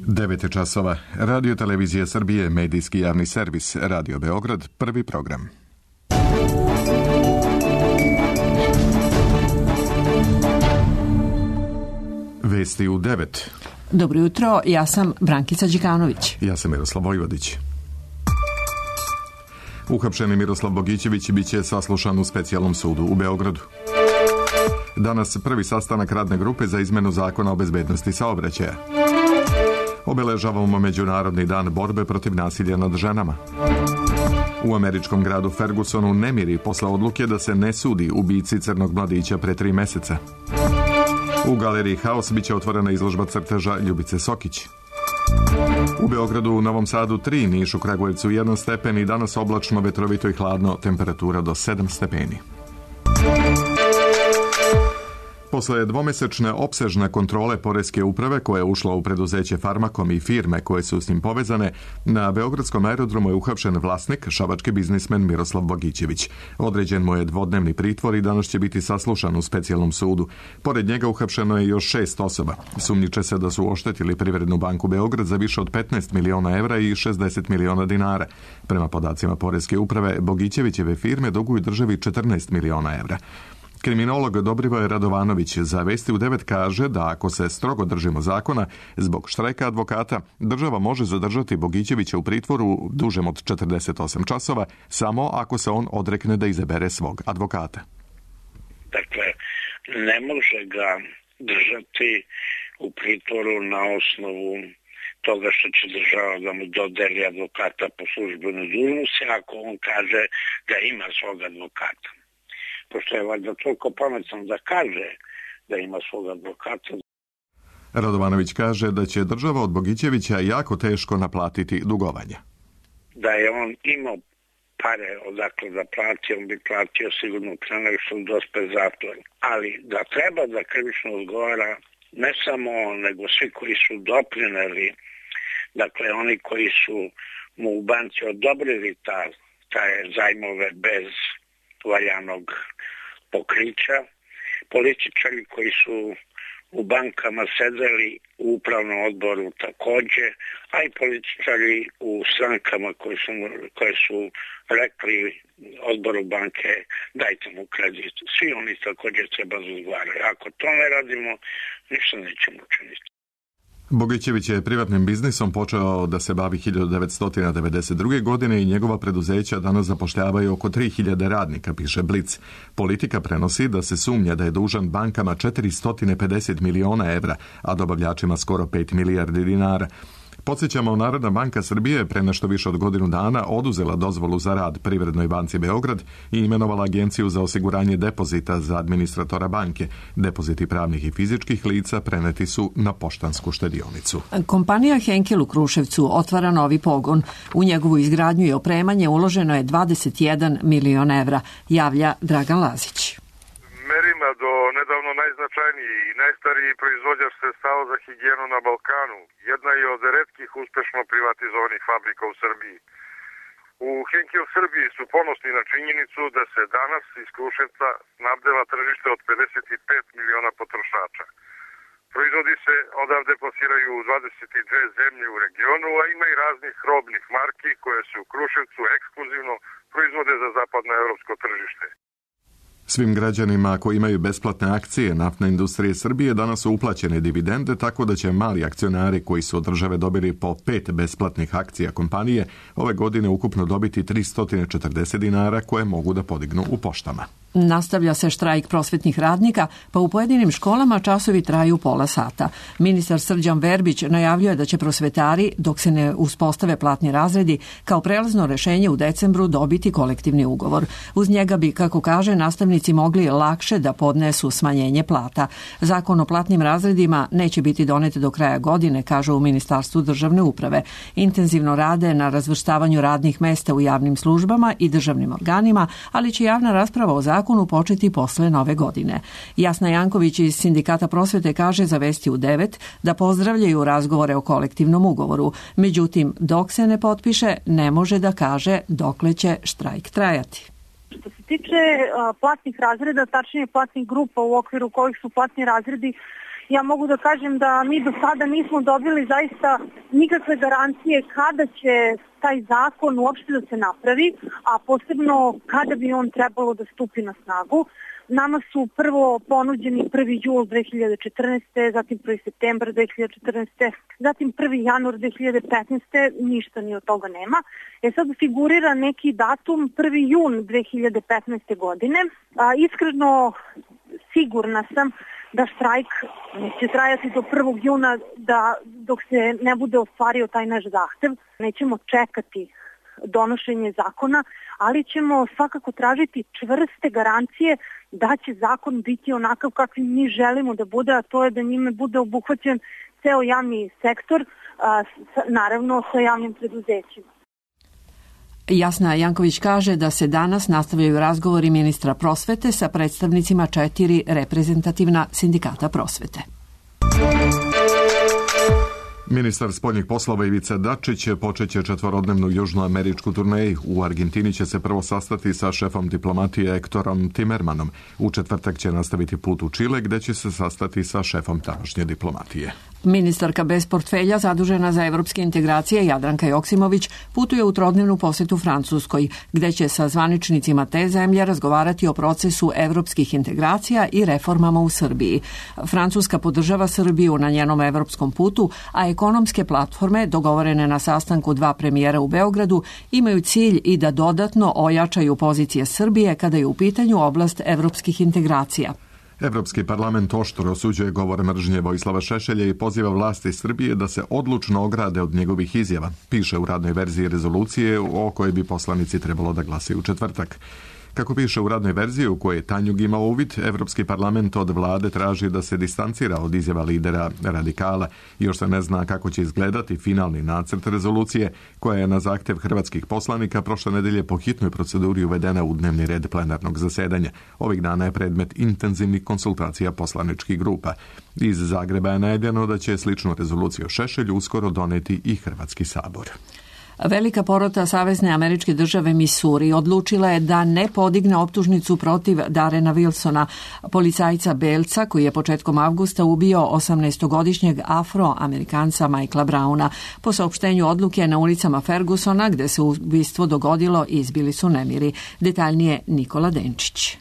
9 časova. Radio Televizija Srbije, medijski javni servis, Radio Beograd, prvi program. Vesti u 9. Dobro jutro, ja sam Brankica Đikanović. Ja sam Miroslav Vojvodić. Uhapšeni Miroslav Bogićević biće saslušan u specijalnom sudu u Beogradu. Danas prvi sastanak radne grupe za izmenu zakona o bezbednosti saobraćaja. Obeležavamo Međunarodni dan borbe protiv nasilja nad ženama. U američkom gradu Fergusonu nemiri posle odluke da se ne sudi ubici crnog mladića pre 3 meseca. U galeriji Haos biće otvorena izložba crteža Ljubice Sokić. U Beogradu, u Novom Sadu 3, Nišu, Kragujevcu 1 stepen i danas oblačno, vetrovito i hladno, temperatura do 7 stepeni. Posle dvomesečne opsežne kontrole poreske uprave koja je ušla u preduzeće Farmakom i firme koje su s njim povezane, na beogradskom aerodromu je uhapšen vlasnik, šabački biznismen Miroslav Bogićević. Određen mu je dvodnevni pritvor i danas će biti saslušan u specijalnom sudu. Pored njega uhapšeno je još 6 osoba. Sumnjiče se da su oštetili Privrednu banku Beograd za više od 15 miliona evra i 60 miliona dinara. Prema podacima poreske uprave, Bogićevićeve firme duguju državi 14 miliona evra. Kriminolog Dobrivoje Radovanović za Vesti u 9 kaže da ako se strogo držimo zakona, zbog štrajka advokata, država može zadržati Bogićevića u pritvoru dužem od 48 časova, samo ako se on odrekne da izabere svog advokata. Dakle, ne može ga držati u pritvoru na osnovu toga što će država da mu dodeli advokata po službenoj dužnosti, ako on kaže da ima svog advokata. Pošto je valjda toliko pametan da kaže da ima svog advokata. Radovanović kaže da će država od Bogićevića jako teško naplatiti dugovanja. Da je on imao pare odakle da plati, on bi platio sigurno pre nego što dospe zatvor. Ali da treba da krivično odgovara ne samo on, nego svi koji su doprineli, dakle oni koji su mu u banci odobrili taj zajmove bez valjanog pokrića, političari koji su u bankama sedeli u upravnom odboru takođe, a i političari u strankama koje su rekli odboru banke dajte mu kredit. Svi oni takođe treba da odgovaraju. Ako to ne radimo, ništa nećemo učiniti. Bogićević je privatnim biznisom počeo da se bavi 1992. godine i njegova preduzeća danas zapošljavaju oko 3000 radnika, piše Blic. Politika prenosi da se sumnja da je dužan bankama 450 miliona evra, a dobavljačima skoro 5 milijardi dinara. Podsjećamo, Narodna banka Srbije pre nešto više od godinu dana oduzela dozvolu za rad Privrednoj banci Beograd i imenovala Agenciju za osiguranje depozita za administratora banke. Depoziti pravnih i fizičkih lica preneti su na poštansku štedionicu. Kompanija Henkel u Kruševcu otvara novi pogon. U njegovu izgradnju i opremanje uloženo je 21 milion evra, javlja Dragan Lazić. Merima do nedavno najznačajniji i najstariji proizvođač sredstava za higijenu na Balkanu, jedna je od retkih uspešno privatizovanih fabrika u Srbiji. U Henkel Srbiji su ponosni na činjenicu da se danas iz Kruševca snabdeva tržište od 55 miliona potrošača. Proizvodi se odavde plasiraju u 22 zemlje u regionu, a ima i raznih robnih marki koje se u Kruševcu ekskluzivno proizvode za zapadno evropsko tržište. Svim građanima koji imaju besplatne akcije naftne industrije Srbije danas su uplaćene dividende, tako da će mali akcionari koji su od države dobili po 5 besplatnih akcija kompanije ove godine ukupno dobiti 340 dinara koje mogu da podignu u poštama. Nastavlja se štrajk prosvetnih radnika, pa u pojedinim školama časovi traju pola sata. Ministar Srđan Verbić najavljuje da će prosvetari, dok se ne uspostave platni razredi, kao prelazno rešenje u decembru dobiti kolektivni ugovor. Uz njega bi, kako kaže, nastavnici mogli lakše da podnesu smanjenje plata. Zakon o platnim razredima neće biti donet do kraja godine, kažu u Ministarstvu državne uprave. Intenzivno rade na razvrstavanju radnih mesta u javnim službama i državnim organima, ali će javna rasprava o zakonu početi posle nove godine. Jasna Janković iz Sindikata prosvete kaže za Vesti u 9 da pozdravljaju razgovore o kolektivnom ugovoru. Međutim, dok se ne potpiše, ne može da kaže dokle će štrajk trajati. Što se tiče platnih razreda, tačnije platnih grupa u okviru kojih su platni razredi Ja mogu da kažem da mi do sada nismo dobili zaista nikakve garancije kada će taj zakon uopšte da se napravi, a posebno kada bi on trebalo da stupi na snagu. Nama su prvo ponuđeni 1. jul 2014. zatim 1. septembar 2014. zatim 1. januar 2015. Ništa ni od toga nema. Sad figurira neki datum 1. jun 2015. godine. Iskreno sigurna sam da štrajk će trajati do 1. juna dok se ne bude ostvario taj naš zahtev. Nećemo čekati donošenje zakona, ali ćemo svakako tražiti čvrste garancije da će zakon biti onakav kakvim mi želimo da bude, a to je da njime bude obuhvaćen ceo javni sektor, naravno sa javnim preduzećima. Jasna Janković kaže da se danas nastavljaju razgovori ministra prosvete sa predstavnicima 4 reprezentativna sindikata prosvete. Ministar spoljnih poslova Ivica Dačić počeće 4-dnevnu južnoameričku turneju. U Argentini će se prvo sastati sa šefom diplomatije Ektorom Timermanom. U četvrtak će nastaviti put u Čile, gde će se sastati sa šefom tamošnje diplomatije. Ministarka bez portfelja zadužena za evropske integracije Jadranka Joksimović putuje u 3-dnevnu posetu Francuskoj, gde će sa zvaničnicima te zemlje razgovarati o procesu evropskih integracija i reformama u Srbiji. Francuska podržava Srbiju na njenom evropskom putu, a ekonomske platforme, dogovorene na sastanku 2 premijera u Beogradu, imaju cilj i da dodatno ojačaju pozicije Srbije kada je u pitanju oblast evropskih integracija. Evropski parlament oštro osuđuje govor mržnje Vojislava Šešelja i poziva vlasti Srbije da se odlučno ograde od njegovih izjava, piše u radnoj verziji rezolucije o kojoj bi poslanici trebalo da glasaju u četvrtak. Kako piše u radnoj verziji u kojoj je Tanjug imao uvid, Evropski parlament od vlade traži da se distancira od izjava lidera radikala. Još se ne zna kako će izgledati finalni nacrt rezolucije, koja je na zahtev hrvatskih poslanika prošle nedelje po hitnoj proceduri uvedena u dnevni red plenarnog zasedanja. Ovih dana je predmet intenzivnih konsultacija poslaničkih grupa. Iz Zagreba je najavljeno da će sličnu rezoluciju o Šešelju uskoro doneti i Hrvatski sabor. Velika porota Savezne američke države Misuri odlučila je da ne podigne optužnicu protiv Darrena Wilsona, policajca belca koji je početkom avgusta ubio 18-godišnjeg afroamerikanca Michaela Browna. Po saopštenju odluke na ulicama Fergusona, gde se ubistvo dogodilo, izbili su nemiri. Detaljnije Nikola Denčić.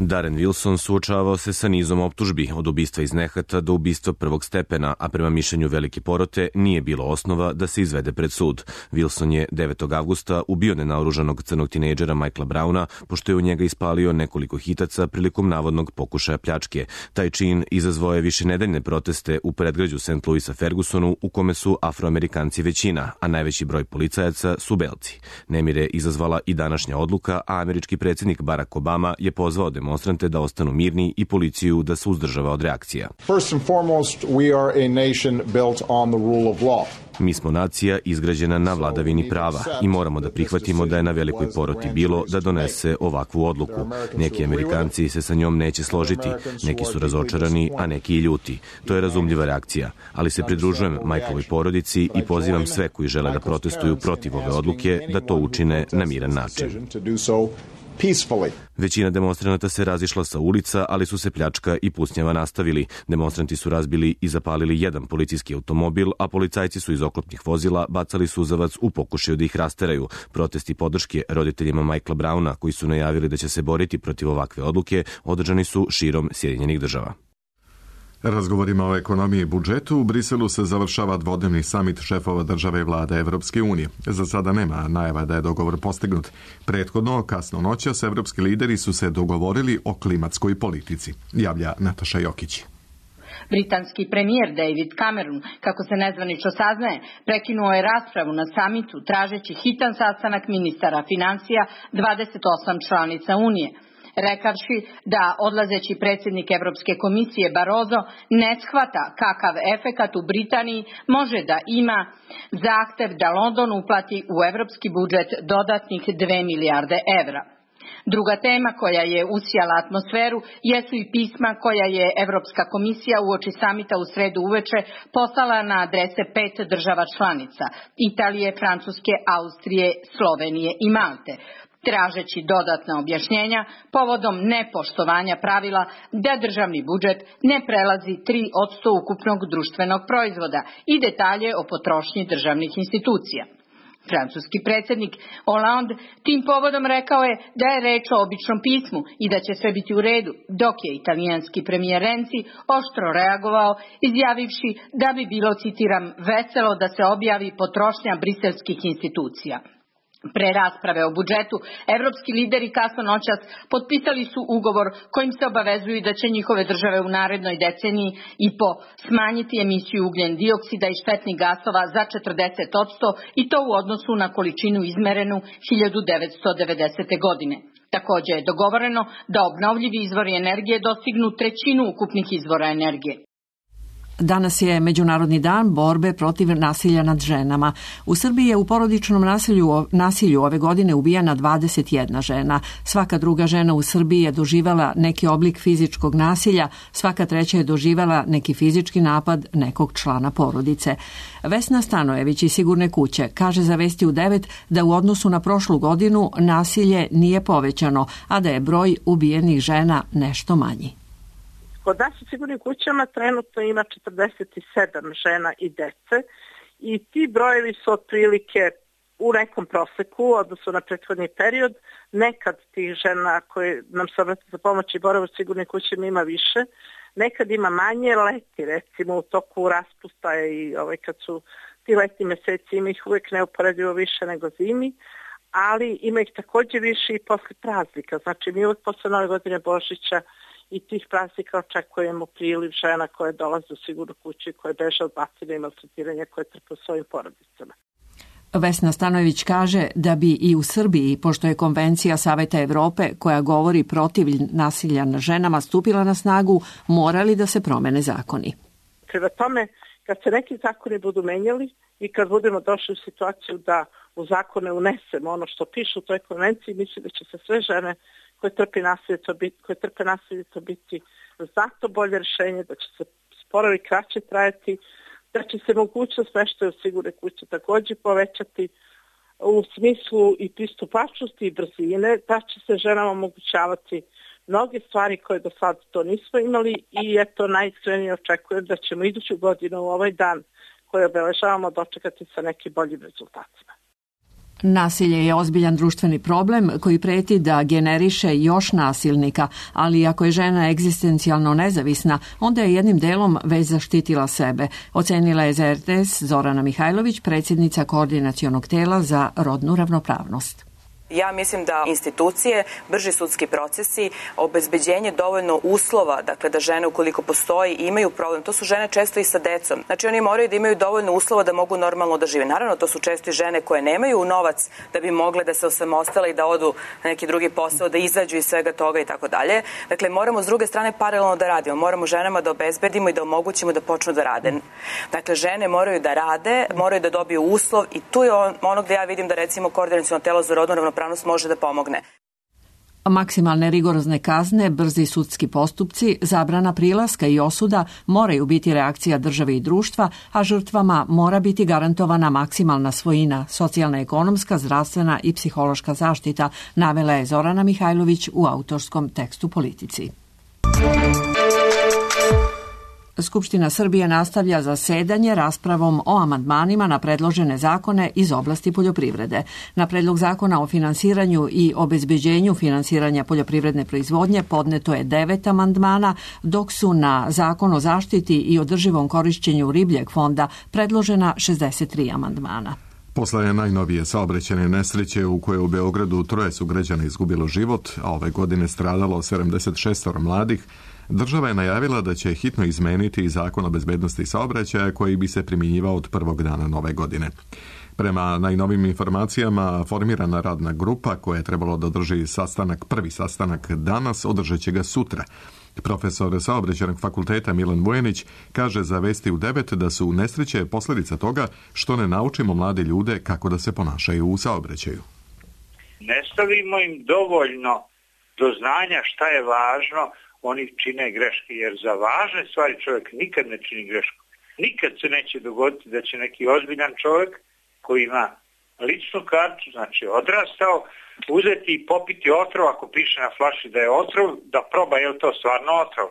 Darren Wilson suočavao se sa nizom optužbi, od ubistva iz nehata do ubistva prvog stepena, a prema mišljenju velike porote nije bilo osnova da se izvede pred sud. Wilson je 9. avgusta ubio nenaoružanog crnog tinejdžera Michaela Browna, pošto je u njega ispalio nekoliko hitaca prilikom navodnog pokušaja pljačke. Taj čin izazvao je višenedeljne proteste u predgrađu St. Louisa Fergusonu, u kome su Afroamerikanci većina, a najveći broj policajaca su belci. Nemire izazvala i današnja odluka, a američki predsjednik Barack Obama je pozvao demonstrante da ostanu mirni i policiju da se uzdržava od reakcija. First and foremost, we are a nation built on the rule of law. Mi smo nacija izgrađena na vladavini prava i moramo da prihvatimo da je na velikoj poroti bilo da donese ovakvu odluku. Neki Amerikanci se sa njom neće složiti, neki su razočarani, a neki i ljuti. To je razumljiva reakcija, ali se pridružujem Michaelovoj porodici i pozivam sve koji žele da protestuju protiv ove odluke da to učine na miran način. Većina demonstranata se razišla sa ulica, ali su se pljačka i pucnjava nastavili. Demonstranti su razbili i zapalili jedan policijski automobil, a policajci su iz oklopnih vozila bacali suzavac u pokušaju da ih rasteraju. Protesti podrške roditeljima Michaela Browna, koji su najavili da će se boriti protiv ovakve odluke, održani su širom Sjedinjenih država. Razgovorima o ekonomiji i budžetu u Briselu se završava dvodnevni samit šefova države i vlade Evropske unije. Za sada nema najava da je dogovor postignut. Prethodno, kasno noćas, evropski lideri su se dogovorili o klimatskoj politici, javlja Nataša Jokić. Britanski premijer David Cameron, kako se nezvanično saznaje, prekinuo je raspravu na samitu tražeći hitan sastanak ministara finansija 28 članica Unije, rekavši da odlazeći predsjednik Evropske komisije Barroso ne shvata kakav efekat u Britaniji može da ima zahtev da London uplati u evropski budžet dodatnih 2 milijarde evra. Druga tema koja je usijala atmosferu jesu i pisma koja je Evropska komisija uoči samita u sredu uveče poslala na adrese 5 država članica: Italije, Francuske, Austrije, Slovenije i Malte. tražeći dodatna objašnjenja povodom nepoštovanja pravila da državni budžet ne prelazi 3% ukupnog društvenog proizvoda i detalje o potrošnji državnih institucija. Francuski predsjednik Hollande tim povodom rekao je da je reč o običnom pismu i da će sve biti u redu, dok je italijanski premijer Renzi oštro reagovao izjavivši da bi bilo, citiram, veselo da se objavi potrošnja briselskih institucija. Pre rasprave o budžetu, evropski lideri kasno noćas potpisali su ugovor kojim se obavezuju da će njihove države u narednoj deceniji i po smanjiti emisiju ugljen dioksida i štetnih gasova za 40% i to u odnosu na količinu izmerenu 1990. godine. Također je dogovoreno da obnovljivi izvori energije dostignu 1/3 ukupnih izvora energije. Danas je Međunarodni dan borbe protiv nasilja nad ženama. U Srbiji je u porodičnom nasilju ove godine ubijena 21 žena. Svaka druga žena u Srbiji je doživjela neki oblik fizičkog nasilja, svaka treća je doživjela neki fizički napad nekog člana porodice. Vesna Stanojević iz Sigurne kuće kaže za Vesti u 9 da u odnosu na prošlu godinu nasilje nije povećano, a da je broj ubijenih žena nešto manji. Kod nas u Sigurnim kućama trenutno ima 47 žena i dece i ti brojevi su otprilike u nekom proseku u odnosu na prethodni period. Nekad tih žena koje nam se obrate za pomoć i bore u Sigurnim kućama ima više, nekad ima manje. Leti recimo u toku raspusta i kad su ti letni meseci ima ih uvijek neuporedivo više nego zimi, ali ima ih također više i posle praznika. Znači mi uvijek posle Nove godine, Božića i tih praznika očekujemo priliv žena koje dolaze u Sigurnu kuću i koje beže od nasilja i maltretiranja koje trpe u svojim porodicama. Vesna Stanojević kaže da bi i u Srbiji, pošto je Konvencija Saveta Evrope koja govori protiv nasilja nad ženama stupila na snagu, morali da se promene zakoni. Prema tome, kad se neki zakoni budu menjali i kad budemo došli u situaciju da u zakone unesemo ono što piše u toj konvenciji, mislim da će se sve žene koje trpe nasilje to biti zato bolje rješenje, da će se sporovi kraće trajati, da će se mogućnost smještaja u sigurne kuće također povećati u smislu i pristupačnosti i brzine, da će se ženama omogućavati mnoge stvari koje do sada to nismo imali i eto najiskrenije očekujem da ćemo iduću godinu u ovaj dan koji obeležavamo dočekati sa nekim boljim rezultatima. Nasilje je ozbiljan društveni problem koji preti da generiše još nasilnika, ali ako je žena egzistencijalno nezavisna, onda je jednim delom već zaštitila sebe, ocenila je za RTS Zorana Mihajlović, predsjednica Koordinacionog tela za rodnu ravnopravnost. Ja mislim da institucije, brži sudski procesi, obezbeđenje dovoljno uslova, dakle da žene ukoliko postoji imaju problem, to su žene često i sa decom. Znači oni moraju da imaju dovoljno uslova da mogu normalno da žive. Naravno to su često i žene koje nemaju novac da bi mogle da se osamostale i da odu na neki drugi posao, da izađu iz svega toga i tako dalje. Dakle moramo s druge strane paralelno da radimo. Moramo ženama da obezbedimo i da omogućimo da počnu da rade. Dakle žene moraju da rade, moraju da dobiju uslov i tu je ono gde ja vidim da recimo Koordinaciono telo za rodnu ravnopravnost može da pomogne. Maksimalne rigorozne kazne, brzi sudski postupci, zabrana prilaska i osuda moraju biti reakcija države i društva, a žrtvama mora biti garantovana maksimalna svojina, socijalna, ekonomska, zdravstvena i psihološka zaštita, navela je Zorana Mihajlović u autorskom tekstu Politici. Skupština Srbije nastavlja zasedanje raspravom o amandmanima na predložene zakone iz oblasti poljoprivrede. Na predlog zakona o finansiranju i obezbeđenju finansiranja poljoprivredne proizvodnje podneto je 9 amandmana, dok su na zakon o zaštiti i održivom korišćenju ribljeg fonda predložena 63 amandmana. Posle najnovije saobraćajne nesreće u kojoj u Beogradu 3 sugrađana izgubilo život, a ove godine stradalo 76 mladih, država je najavila da će hitno izmeniti i zakon o bezbednosti saobraćaja koji bi se primjenjivao od prvog dana nove godine. Prema najnovim informacijama, formirana radna grupa koja je trebalo da održi prvi sastanak danas, održat će ga sutra. Profesor Saobraćajnog fakulteta Milan Vujanić kaže za Vesti u 9 da su nesreće posljedica toga što ne naučimo mlade ljude kako da se ponašaju u saobraćaju. Ne stavimo im dovoljno do znanja šta je važno, oni čine greške, jer za važne stvari čovjek nikad ne čini grešku. Nikad se neće dogoditi da će neki ozbiljan čovjek koji ima ličnu kartu, znači odrastao, uzeti i popiti otrov, ako piše na flaši da je otrov, da proba je li to stvarno otrov.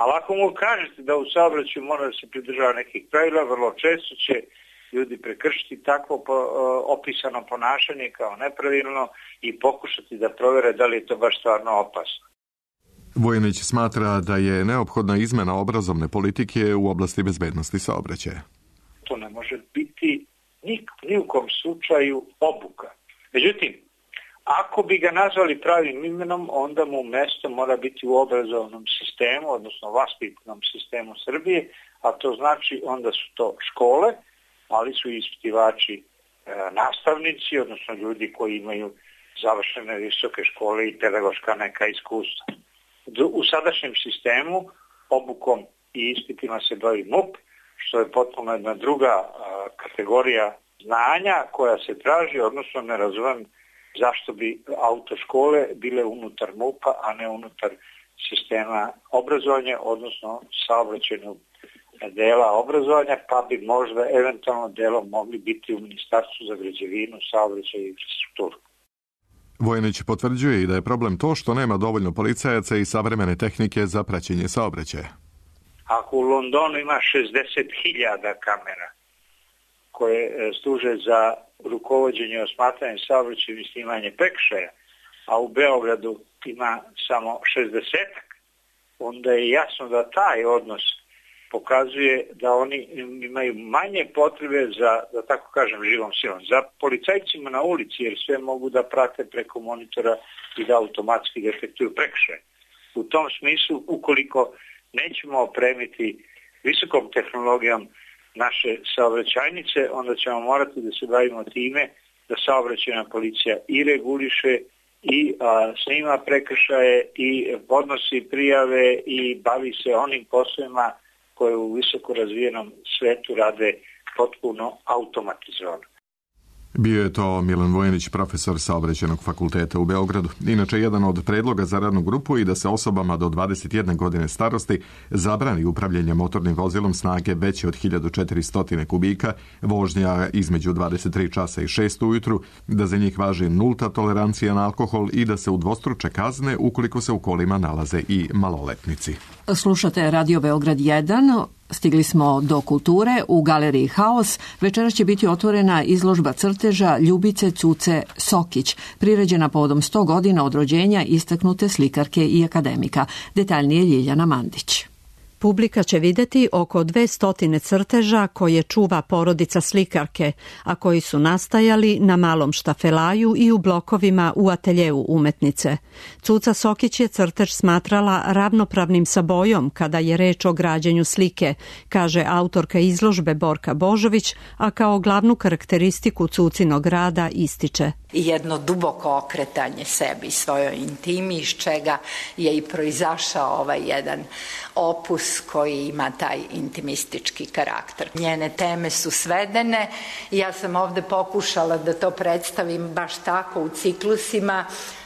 Ali ako mu kažete da u saobraćaju mora da se pridržava nekih pravila, vrlo često će ljudi prekršiti takvo opisano ponašanje kao nepravilno i pokušati da provere da li je to baš stvarno opasno. Vojanić smatra da je neophodna izmena obrazovne politike u oblasti bezbednosti saobraćaja. To ne može biti ni u kom slučaju obuka. Međutim, ako bi ga nazvali pravim imenom, onda mu mesto mora biti u obrazovnom sistemu, odnosno vaspitnom sistemu Srbije, a to znači onda su to škole, ali su ispitivači nastavnici, odnosno ljudi koji imaju završene visoke škole i pedagoška neka iskustva. U sadašnjem sistemu obukom i ispitima se bavi MUP, što je potpuno jedna druga kategorija znanja koja se traži, odnosno ne razumem zašto bi autoškole bile unutar MUP-a, a ne unutar sistema obrazovanja, odnosno saobraćajnog dela obrazovanja, pa bi možda eventualno delom mogli biti u Ministarstvu za građevinu, saobraćaj i infrastrukturu. Vojanić potvrđuje i da je problem to što nema dovoljno policajaca i savremene tehnike za praćenje saobraćaja. Ako u Londonu ima 60.000 kamera koje služe za rukovođenje, osmatranje saobraćaja i snimanje prekršaja, a u Beogradu ima samo 60-ak, onda je jasno da taj odnos pokazuje da oni imaju manje potrebe za, da tako kažem, živom silom. Za policajcima na ulici, jer sve mogu da prate preko monitora i da automatski detektuju prekršaje. U tom smislu, ukoliko nećemo opremiti visokom tehnologijom naše saobraćajnice, onda ćemo morati da se bavimo time da saobraćajna policija i reguliše i snima prekršaje i podnosi prijave i bavi se onim poslovima koje u visoko razvijenom svetu rade potpuno automatizovano. Bio je to Milan Vojanić, profesor Saobraćajnog fakulteta u Beogradu. Inače, jedan od predloga za radnu grupu i da se osobama do 21 godine starosti zabrani upravljanje motornim vozilom snage veće od 1400 kubika, vožnja između 23 časa i 6 ujutru, da za njih važi nulta tolerancija na alkohol i da se udvostruče kazne ukoliko se u kolima nalaze i maloletnici. Slušate Radio Beograd 1. Stigli smo do kulture. U galeriji Haos večeras će biti otvorena izložba crteža Ljubice Cuce Sokić, priređena povodom 100 godina od rođenja istaknute slikarke i akademika. Detaljnije Ljiljana Mandić. Publika će videti oko 200 crteža koje čuva porodica slikarke, a koji su nastajali na malom štafelaju i u blokovima u ateljeu umetnice. Cuca Sokić je crtež smatrala ravnopravnim sa bojom kada je reč o građenju slike, kaže autorka izložbe Borka Božović, a kao glavnu karakteristiku Cucinog rada ističe: i jedno duboko okretanje sebi, svojoj intimi, iz čega je i proizašao ovaj jedan opus koji ima taj intimistički karakter. Njene teme su svedene i ja sam ovde pokušala da to predstavim baš tako u ciklusima,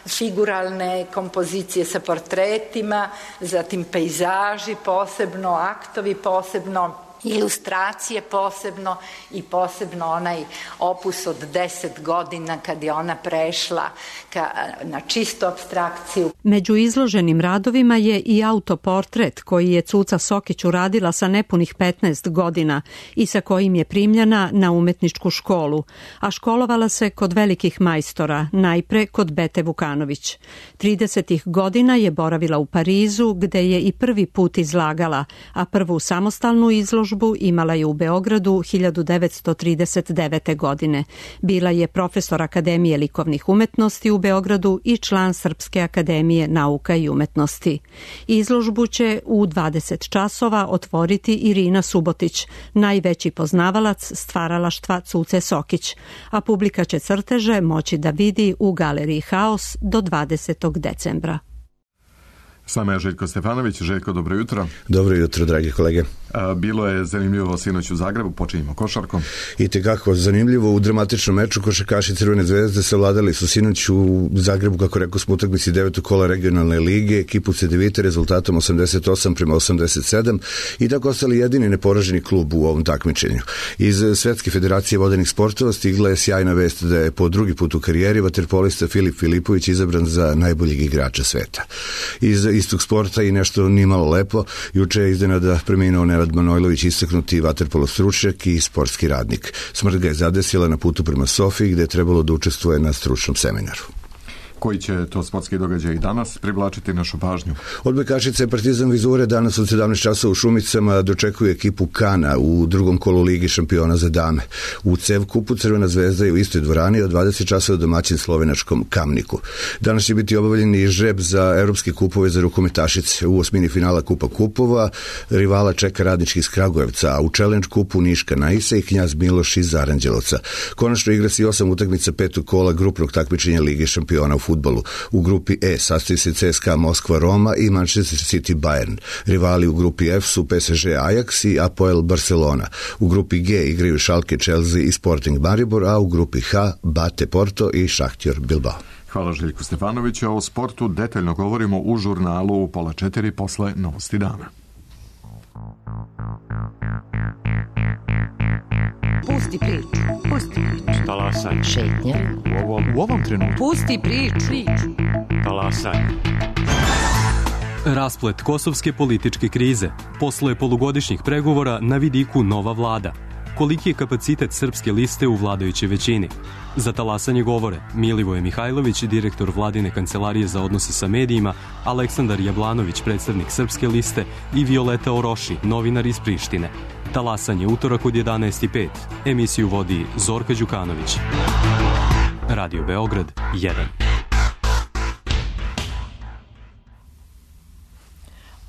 figuralne kompozicije sa portretima, zatim pejzaži posebno, aktovi posebno, ilustracije posebno i posebno onaj opus od 10 godina kad je ona prešla na čistu apstrakciju. Među izloženim radovima je i autoportret koji je Cuca Sokić uradila sa nepunih 15 godina i sa kojim je primljena na umetničku školu, a školovala se kod velikih majstora, najpre kod Bete Vukanović. 30. godina je boravila u Parizu gde je i prvi put izlagala, a prvu samostalnu izložbu imala je u Beogradu 1939. godine. Bila je profesor Akademije likovnih umetnosti u Beogradu i član Srpske akademije nauka i umetnosti. Izložbu će u 20 časova otvoriti Irina Subotić, najveći poznavalac stvaralaštva Cuce Sokić, a publika će crteže moći da vidi u galeriji Haos do 20. decembra. Sama je Željko Stefanović. Željko, dobro jutro. Dobro jutro, dragi kolege. Bilo je zanimljivo sinoć u Zagrebu, počinjemo košarkom. I tekako zanimljivo u dramatičnom meču košarkaši Crvene zvezde savladali su sinoć u Zagrebu, kako rekao smo, utakmici 9. kola regionalne lige, ekipu Cedevite rezultatom 88-87 i tako ostali jedini neporaženi klub u ovom takmičenju. Iz Svetske federacije vodenih sportova stigla je sjajna vest da je po drugi put u karijeri vaterpolista Filip Filipović izabran za najboljeg igrača sveta. Iz istog sporta i nešto nimalo lepo, juče je iznenada preminuo Nenad Manojlović, istaknuti vaterpolo stručnjak i sportski radnik. Smrt ga je zadesila na putu prema Sofiji, gde je trebalo da učestvuje na stručnom seminaru. Koji će to sportski događaj i danas privlačiti našu pažnju? Odbojkašice Partizan Vizure danas od 17 časova u Šumicama dočekuju ekipu Kana u drugom kolu Ligi šampiona za dame. U CEV kupu Crvena zvezda je u istoj dvorani od 20 časova domaćin slovenačkom Kamniku. Danas će biti obavljen i žreb za evropske kupove za rukometašice. U osmini finala Kupa kupova rivala čeka Radnički iz Kragujevca, a u Challenge kupu Niška Naisa i Knjaz Miloš iz Aranđelovca. Konačno igra se i 8 utakmica petog kola grupnog takmičenja Lige šampiona u fudbalu. U grupi E sastoji se CSKA Moskva Roma i Manchester City Bayern. Rivali u grupi F su PSG Ajax i Apoel Barcelona. U grupi G igraju Schalke Chelsea i Sporting Maribor, a u grupi H Bate Porto i Šahtjor Bilbao. Hvala Željku Stefanoviću. O sportu detaljno govorimo u žurnalu u 3:30 posle Novosti dana. Pusti priču, pusti priču. Talasaj. Šetnja. U ovom trenutku. Pusti priču. Talasaj. Rasplet kosovske političke krize. Posle polugodišnjih pregovora na vidiku nova vlada. Koliki je kapacitet srpske liste u vladajućoj većini? Za talasanje govore Milivoje Mihajlović, direktor vladine kancelarije za odnose sa medijima, Aleksandar Jablanović, predstavnik srpske liste i Violeta Oroši, novinar iz Prištine. Talasanje utorak od 11:05. Emisiju vodi Zorka Đukanović. Radio Beograd 1.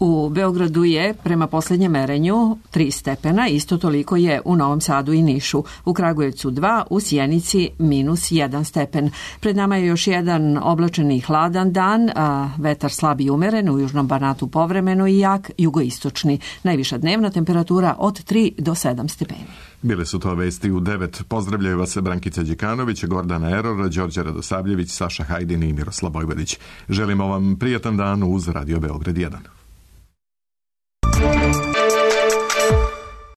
U Beogradu je, prema posljednjem merenju, 3 stepena, isto toliko je u Novom Sadu i Nišu. U Kragujevcu 2, u Sjenici -1 stepen. Pred nama je još jedan oblačeni i hladan dan, a vetar slab i umeren, u južnom Banatu povremeno i jak, jugoistočni. Najviša dnevna temperatura od 3 do 7 stepeni. Bile su to vesti u 9. Pozdravljaju vas Brankica Đikanović, Gordana Eror, Đorđe Radosavljević, Saša Hajdin i Miroslav Vojvodić. Želimo vam prijatan dan uz Radio Beograd 1.